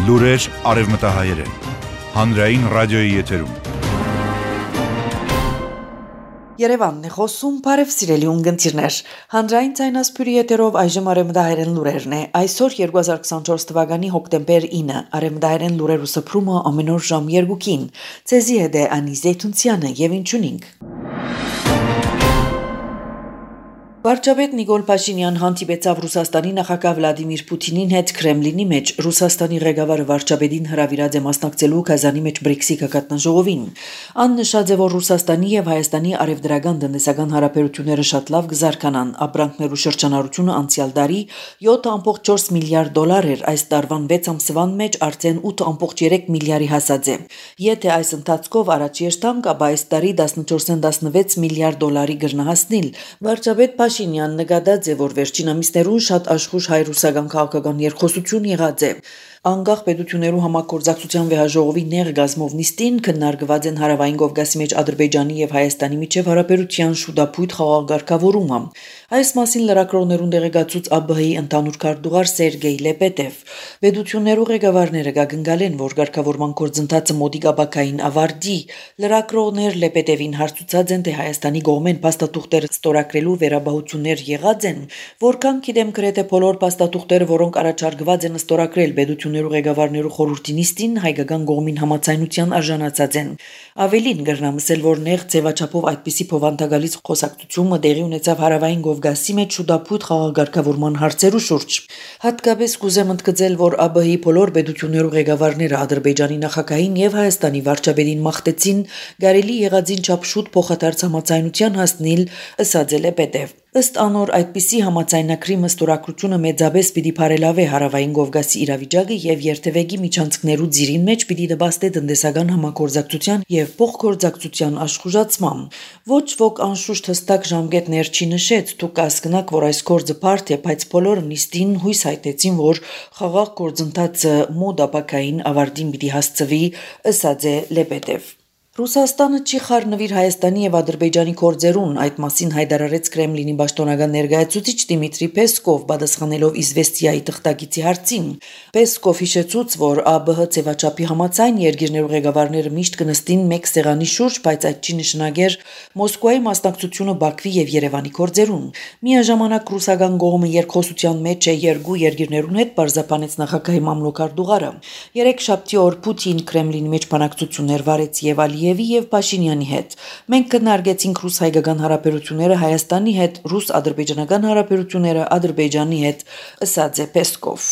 Լուրեր արևմտահայերեն, հանրային ռադիոյի եթերում։ Երևանն է խոսում, բարև սիրելի ունգընտիրներ, հանրային ցայնասպյուրի եթերով այժմ արևմտահայերեն լուրերն է, այսօր 2024 թվականի հոկտեմբեր 9, արևմտահայերեն լուրերու սփռումը ամեն օր ժամ 2-ին, ցեզի հետ է Անի Զեյթունցյանը եւ ինչունինք։ Վարչապետ Նիկոլ Փաշինյան հանդիպեցավ Ռուսաստանի նախագահ Վլադիմիր Պուտինին հետ Կրեմլինի մեջ։ Ռուսաստանի ղեկավարը վարչապետին հրավիրած է մասնակցելու Կազանի մեջ BRICS-ի գագաթնաժողովին։ Ան նշած է, որ Ռուսաստանի եւ Հայաստանի արևդրական տնտեսական հարաբերությունները շատ լավ կզարգանան։ Ապրանքներու շրջանառությունը անցյալ տարի 7.4 միլիարդ դոլար էր, այս տարվան 6 ամսվան մեջ արդեն 8.3 միլիարդի հասած է։ Եթե այս ընթացքով առաջ երթանք, ապա այս տարի 14-16 միլիարդ դոլարի կգրնահասնիլ։ Վարչապետ Փաշինյանն նկատած է, որ վերջին ամիսներուն շատ աշխուժ հայ-ռուսական քաղաքական երկխոսություն եղած է։ Անկախ պետություններու համագործակցության վեհաժողովի ներգազմով նիստին քննարկված են Հարավային Կովկասի մեջ Ադրբեջանի եւ Հայաստանի միջև հարաբերության շուտապույտ խաղաղ-ղեկավարումը։ Այս մասին լրագրողներուն դեղեկացուց ԱԲՀ-ի ընդհանուր քարտուղար Սերգեյ Լեպետև։ Պետություններու ղեկավարները կգնկալեն, որ ղեկավարման գործընթացը մոտիկ ապակային ավարտի։ Լրագրողներ Լեպետևին հարցուցած են, թե Հայաստանի կողմեն փաստաթուղթեր ստորագրելու վերաբահություններ եղած են, որքան գիտեմ գրեթե բոլոր փաստաթուղթերը, որոնք առաջարկված են ստորագրել պետություններու ղեկավարներու խորհրդի նիստին, հայկական կողմին համաձայնության արժանացած են։ Ավելին կրնամսել, որ նեղ ձևաչափով այդպիսի փոխանցագալից խոսակցությունը տեղի ունեցավ Հարավային Կովկասի մեջ շուտապույտ խաղաղ-ղեկավարման հարցերու շուրջ։ Հատկապես կուզեմ ընդգծել, որ ԱԲՀ-ի բոլոր պետություններու ղեկավարները Ադրբեջանի նախագահին եւ Հայաստանի վարչապետին մաղթեցին գարելի եղածին չափ շուտ փոխադարձ համաձայնության հասնել, ըսած է Լեպետև։ Ըստ անոր այդպիսի համաձայնագրի մստորագրությունը մեծապես պիտի բարելավի Հարավային Կովկասի իրավիճակը եւ երթևեկի միջանցքներու ձիրին մեջ պիտի դպաստի տնտեսական համագործակցության եւ փոխգործակցության աշխուժացման։ Ոչ ոք անշուշտ հստակ ժամկետներ չի նշեց, դուք կհասկնաք, որ այս գործը բարդ է, բայց բոլորը նիստին հույս հայտեցին, որ խաղաղ գործընթացը մոտ ապակային ավարտին պիտի հասցվի, ըսած է Լեպետև։ Ռուսաստանը չի խառնվիր Հայաստանի եւ Ադրբեջանի գործերուն, այդ մասին հայտարարեց Կրեմլինի պաշտոնական ներկայացուցիչ Դիմիտրի Պեսկով, պատասխանելով Իզվեստիայի թղթակիցի հարցին։ Պեսկով հիշեցուց, որ ԱԲՀ ձևաչափի համաձայն երկիրներու ղեկավարները միշտ կնստին մեկ սեղանի շուրջ, բայց այդ չի նշանակեր Մոսկվայի մասնակցությունը Բաքվի եւ Երևանի գործերուն։ Միաժամանակ ռուսական կողմը երկխոսության մեջ է երկու երկիրներուն հետ, բարձրապանեց նախագահի մամլոքարտուղարը։ Երեքշաբթի օր Պուտին Կրեմլինի մեջ բանակցություններ վարեց եւ Ալիևի եւ Փաշինյանի հետ։ Մենք քննարկեցինք ռուս-հայկական հարաբերությունները Հայաստանի հետ, ռուս-ադրբեջանական հարաբերությունները Ադրբեջանի հետ, ըսած է Պեսկով։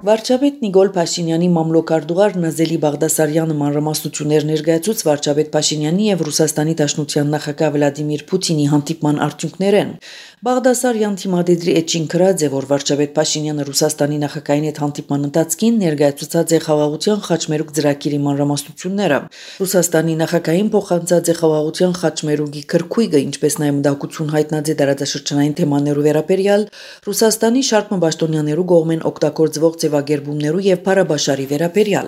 Վարչապետ Նիկոլ Փաշինյանի մամլոքարտուղար Նազելի Բաղդասարյանը մանրամասնություններ ներկայացուց վարչապետ Փաշինյանի եւ Ռուսաստանի Դաշնության նախագահ Վլադիմիր Պուտինի հանդիպման արդյունքներեն։ Բաղդասարյան թիմադեդրի էջին գրած է, որ վարչապետ Փաշինյանը Ռուսաստանի նախագահին հետ հանդիպման ընթացքին ներկայացուցած է խաղաղության խաչմերուկ ծրագիրի մանրամասնությունները։ Ռուսաստանի նախագահին փոխանցած է խաղաղության խաչմերուկի քրքույկը, ինչպես նաեւ մտահոգություն հայտնած է տարածաշրջանային թեմաներու վերաբերյալ Ռուսաստանի շարք պաշտոնյաներու կողմեն օգտագործվող ձևակերպումներու եւ փարաբաշարի վերաբերյալ։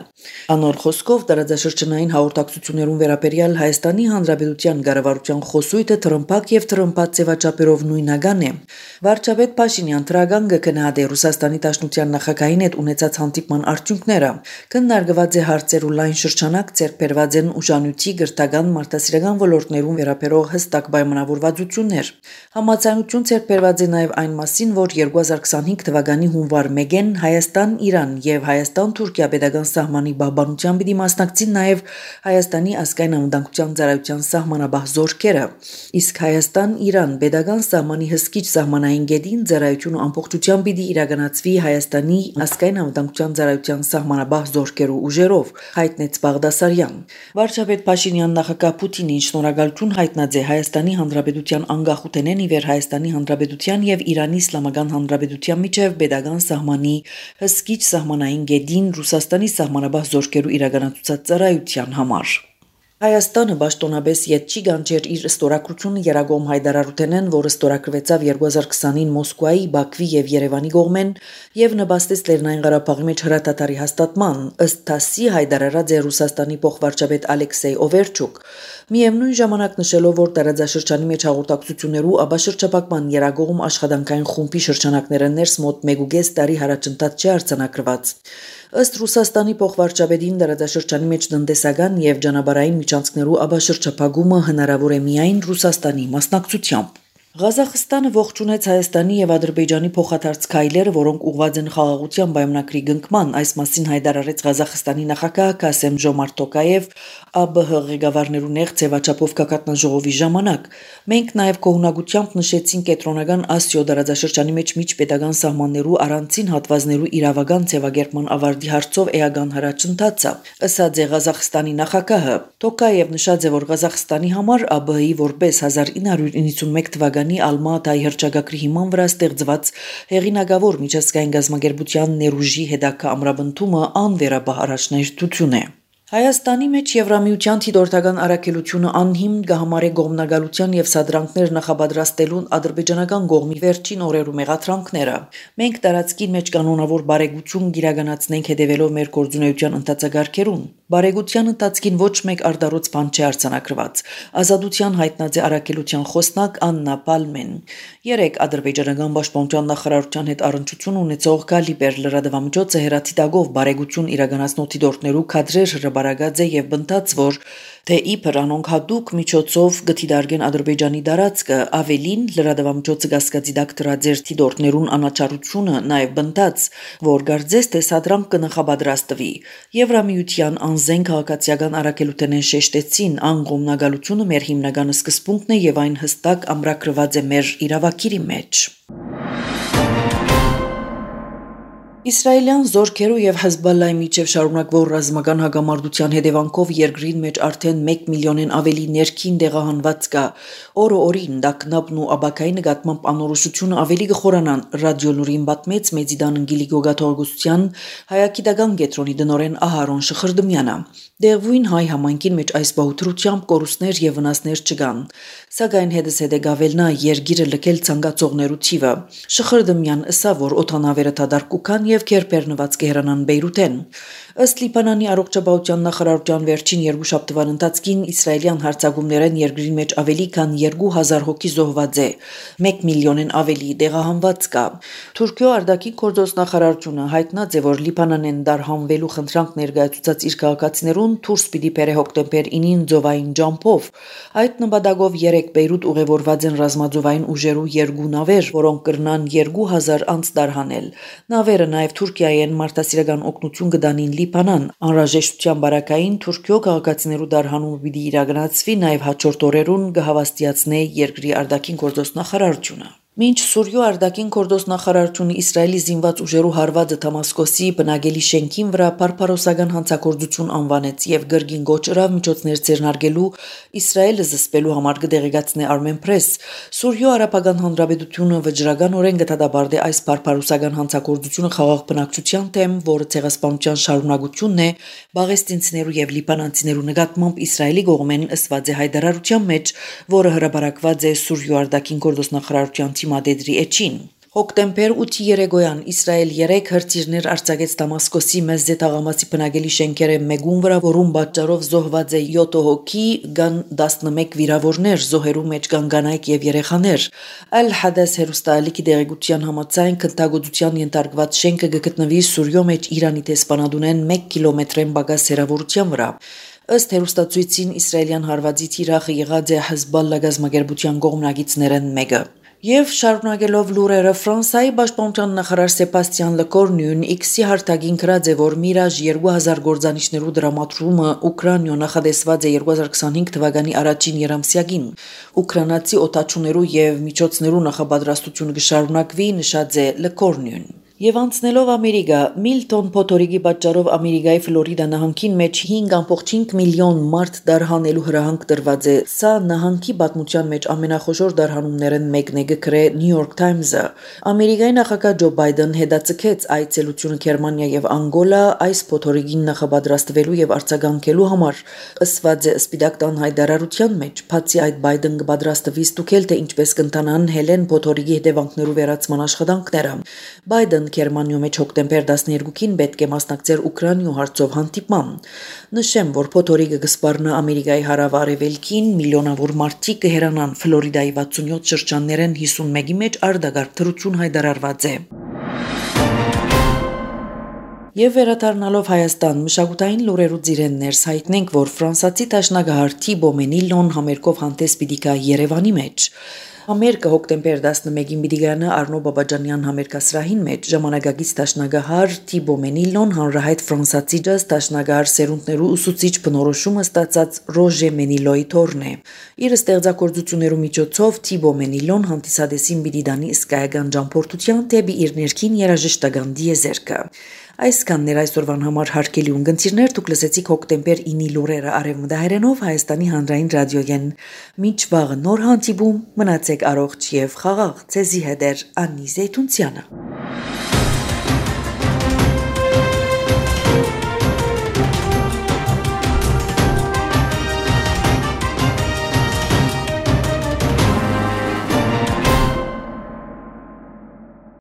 Անոր խոսքով տարածաշրջանային հաղորդակցություններուն վերաբերյալ Հայաստանի Հանրապետության կառավարության խոսույթը թրմփակ եւ թրմփած ձևաչափերով նույնական է։ Վարչապետ Փաշինյան թրագան կգնահատի Ռուսաստանի Դաշնության նախագահին հետ ունեցած հանդիպման արդյունքները։ Քննարկված է հարցերու լայն շրջանակ, ձեռքբերված են ուժանույթի, գրթական, մարդասիրական ոլորտներուն վերաբերող հստակ պայմանավորվածություններ։ Համաձայնություն ձեռքբերված է նաեւ այն մասին, որ 2025 թվականի հունվար 1-ին Հայաստան-Իրան եւ Հայաստան-Թուրքիա pedagogan սահմանի բահբանության պիտի մասնակցին նաեւ Հայաստանի ազգային անվտանգության ծառայության սահմանաբահ զորքերը։ Իսկ Հայաստան-Իրան pedagogan սահմանի հսկիչ սահմանային գետին ծառայությունը ամբողջությամբ պիտի իրականացվի Հայաստանի ազգային անվտանգության ծառայության սահմանաբահ զորքերու ուժերով, հայտնեց Բաղդասարյան։ Վարչապետ Փաշինյան նախագահ Պուտինին շնորհակալություն հայտնած է Հայաստանի Հանրապետության անկախութենեն ի վեր Հայաստանի Հանրապետության եւ Իրանի Իսլամական Հանրապետության միջև pedagogan սահմանի հսկիչ սահմանային գետին Ռուսաստանի սահմանաբահ զորքերու իրականացուցած ծառայության համար։ Հայաստանը պաշտոնապես ետ չի գանչեր իր ստորագրությունը Երագոմ Հայդարարութենեն, որը ստորագրվեցավ 2020-ին Մոսկվայի, Բաքվի եւ Երևանի կողմեն եւ նպաստեց Լեռնային Ղարաբաղի մեջ հրատատարի հաստատման, ըստ ՏԱՍՍ-ի հայտարարած է Ռուսաստանի փոխվարչապետ Ալեքսեյ Օվերչուկ, միևնույն ժամանակ նշելով, որ տարածաշրջանի մեջ հաղորդակցություններու աբաշրջապակման Երագողմ աշխատանքային խումբի շրջանակները ներս մոտ 1.5 տարի հարաճընթաց չի արձանագրված։ Ըստ Ռուսաստանի փոխվարչապետին տարածաշրջանի մեջ տնտեսական եւ ճանապարհային միջանցքներու աբաշրջապակումը հնարավոր է միայն Ռուսաստանի մասնակցությամբ։ Ղազախստանը ողջունեց Հայաստանի եւ Ադրբեջանի փոխադարձ քայլերը, որոնք ուղղված են խաղաղության պայմանագրի գնքման, այս մասին հայտարարեց Ղազախստանի նախագահ Կասեմ-Ժոմարթ Տոկաև ԱԲՀ ղեկավարներու նեղ ձևաչափով կակատնաժողովի ժամանակ։ Մենք նաեւ կողմնակությամբ նշեցին կենտրոնական Ասիո տարածաշրջանի մեջ միջպետական սահմաններու առանցին հատվածներու իրավական ձևակերպման ավարտի հարցով էական հրաճընթացը, ըսած է Ղազախստանի նախագահը։ Տոկաև նշած է, որ Ղազախստանի համար ԱԲՀ-ի որպես 1991 թվականի Ալմատայի հռչակագրի հիման վրա ստեղծված հեղինակավոր միջազգային գազམ་ագերբության ներուժի հետագա ամրապնդումը անվերապահ առաջնահերթություն է։ Հայաստանի մեջ Եվրամիության թիդորթական առաքելությունը անհիմն կհամարե գողմնագալության եւ սադրանքներ նախապատրաստելուն ադրբեջանական կողմի վերջին օրերու մեղադրանքները։ Մենք տարածքին մեջ կանոնավոր բարեգություն գիրականացնենք հետևելով մեր գործունեության ընթացագարքերուն։ Բարեգության ընթացքին ոչ մեկ արդարոց բան չի արձանագրված։ Ազատության հայտնած է առաքելության խոսնակ Աննա Պալմեն։ Երեք ադրբեջանական պաշտպանության նախարարության հետ առնչություն ունեցող Գալիբեր լրատվամիջոցը հերաթիտագով բարեգություն իրականացնող թիդորթներու քադրեր հրաբարագած է եւ բնտած, որ թե իբր անոնք հատուկ միջոցով գտիդարգեն Ադրբեջանի դարածքը, ավելին լրատվամիջոցը գասկածի դակ դրաձեր թիդորթներուն անաչառությունը, նաեւ բնտած, որ գարձես թե սադրանք կնախապատրաստվի։ Եվրամիության անզեն քաղաքացիական առաքելութենեն շեշտեցին, անգոմնագալությունը մեր հիմնական սկզբունքն է եւ այն հստակ ամրագրված է մեր իրավակիրի մեջ։ Իսրայելյան զորքերու եւ Հեզբոլլայի միջև շարունակվող ռազմական հագամարտության հետևանքով երկրին մեջ արդեն 1 միլիոնեն ավելի ներքին դեղահանված կա։ Օրը օրին դակնապն ու աբակայի նկատմամբ անորոշությունը ավելի կխորանան, ռադիոլուրին պատմեց Մեծիդան ընկիլի գոգաթողգության հայագիտական կենտրոնի դնորեն Ահարոն Շխրդմյանը։ Դեղվույն հայ համայնքին մեջ այս բահութրությամբ կորուստներ եւ վնասներ չկան, սակայն հետզհետե գավելնա երգիրը լքել ցանկացողներու թիվը։ Շխրդմյան ըսա, որ օթանավերը թադարկուքան եւ քերպերնված կհեռանան Բեյրութեն։ Ըստ Լիբանանի առողջապահության նախարարության վերջին 2 շաբթվան ընթացքին իսրայելյան հարձակումներեն երկրի մեջ ավելի քան 2000 հոգի զոհված է, 1 միլիոնեն ավելի դեղահանված կա։ Թուրքիո արտաքին գործոս նախարարությունը հայտնած է, որ Լիբանանեն դարհանվելու խնդրանք ներկայացուցած իր քաղաքացիներուն դուրս պիտի բերե հոկտեմբեր 9-ին ծովային ջամփով։ Այդ նպատակով 3 Բեյրութ ուղևորված են ռազմաձովային ուժերու 2 նավեր, որոնք կրնան 2000 անց դարհանել։ Նավերը նաև Թուրքիայի են մարդասիրական օգնություն կդանին Լիբանան։ Անհրաժեշտության բարակային Թուրքիո քաղաքացիներու դարհանումը պիտի իրականացվի նաև հաջորդ օրերուն կհավաստիացնե երկրի արտաքին գործոս նախարարությունը։ Մինչ Սուրիո արտաքին գործոս նախարարությունը Իսրայելի զինված ուժերու հարվածը Դամասկոսի բնակելի շենքին վրա բարբարոսական հանցագործություն անվանեց եւ գրգին գոչրավ միջոցներ ձեռնարկելու Իսրայելը զսպելու համար կդեղեկացնե Armen Press։ Սուրիո արաբական հանրապետությունը վճռականորեն կդադարեցնի այս բարբարոսական հանցագործությունը խաղաղ բնակչության դեմ, որը ցեղասպանության շարունակությունն է բաղեստինցիներու եւ լիբանանցիներու նկատմամբ Իսրայելի կողմեն ըսված է հայտարարության մեջ, որը հրապարակված է Սուրիո արտաքին գործոս նախարարության Մադեդրի էջին։ Հոկտեմբեր 8-ի երեկոյան Իսրայել 3 հրթիռներ արձակեց Դամասկոսի մեզե թաղամասի բնակելի շենքերը մեկուն վրա, որում պատճառով զոհված է 7 հոգի, կան 11 վիրավորներ, զոհերու մեջ կան կանայք եւ երեխաներ։ Ալ-Հադաս հերոստալիկի դեղեցության համաձայն քննադատության ենթարկված շենքը կգտնվի Սուրիո մեջ Իրանի տեսփանադունեն 1 կիլոմետրեն բագաս հեռավորության վրա։ Ըստ հերոստացույցին իսրայելյան հարվածից Իրաքը եղած է Հեզբոլլա գազམ་ագերբության կողմնակիցներն մեկը։ Եվ շարունակելով լուրերը Ֆրանսիայի պաշտպանության նախարար Սեբաստիան Լեկորնյուն X-ի հարթակին գրած է, որ Միրաժ 2000 գործանիչներու դրամատրումը Ուկրաինա նախադեсված է 2025 թվականի առաջին երամսյակին։ Ուկրաինացի օտաչուներու եւ միջոցներու նախապատրաստությունը կշարունակվի, նշած է Լեկորնյուն։ Եվ անցնելով Ամերիկա, Միլտոն փոթորիկի պատճառով Ամերիկայի Ֆլորիդա նահանգին մեջ 5.5 միլիոն մարդ դարհանելու հրահանգ տրված է։ Սա նահանգի պատմության մեջ ամենախոշոր դարհանումներն մեկն է գրե New York Times-ը։ Ամերիկայի նախագահ Ջո Բայդեն հետաձգեց այցելությունը Գերմանիա եւ Անգոլա այս փոթորիկին նախապատրաստվելու եւ արձագանքելու համար։ Ըսված է Սպիտակ տան հայտարարության մեջ, բացի այդ Բայդեն կպատրաստվի ստուգել թե ինչպես կընթանան Հելեն փոթորիկի հետևանքներու վերացման աշխատանքները։ Բայդեն Գերմանիայում հոկտեմբեր 12-ին պետք է մասնակցեր Ուկրաինայու հարցով հանդիպման։ Նշեմ, որ փոթորիկը կսպառնա Ամերիկայի հարավ-արևելքին, միլիոնավոր մարդիկ կհեռանան Ֆլորիդայի 67 շրջաններեն 51-ի մեջ արտագաղթ թռություն հայտարարված է։ Եվ վերադառնալով Հայաստան, մշակութային լուրերու ծիրեններս հայտնենք, որ ֆրանսացի դաշնակահար Թիբո Մենիլոն համերգով հանդես պիտի գա Երևանի մեջ։ Համերգը հոկտեմբեր 11-ին պիտի գանա Արնո Բաբաջանյան համերգասրահին մեջ ժամանակակից դաշնակահար Թիբո Մենիլոն հանրահայտ ֆրանսացի ջազ դաշնակահար սերունդներու ուսուցիչ բնորոշումը ստացած Ռոժե Մենիլոյի թորն է։ Իր ստեղծագործություններու միջոցով Թիբո Մենիլոն հանդիսադեսին պիտի դանի իսկայական ճամփորդության դեպի իր ներքին երաժշտական դիեզերքը։ Այսքանն էր այսօրվան համար հարգելի ունգընտիրներ, դուք լսեցիք հոկտեմբեր 9-ի լուրերը արևմտահայերենով Հայաստանի հանրային ռադիոյեն։ Մինչ վաղը նոր հանդիպում, մնացեք առողջ եւ խաղաղ, ձեզի հետ է Անի Զեյթունցյանը։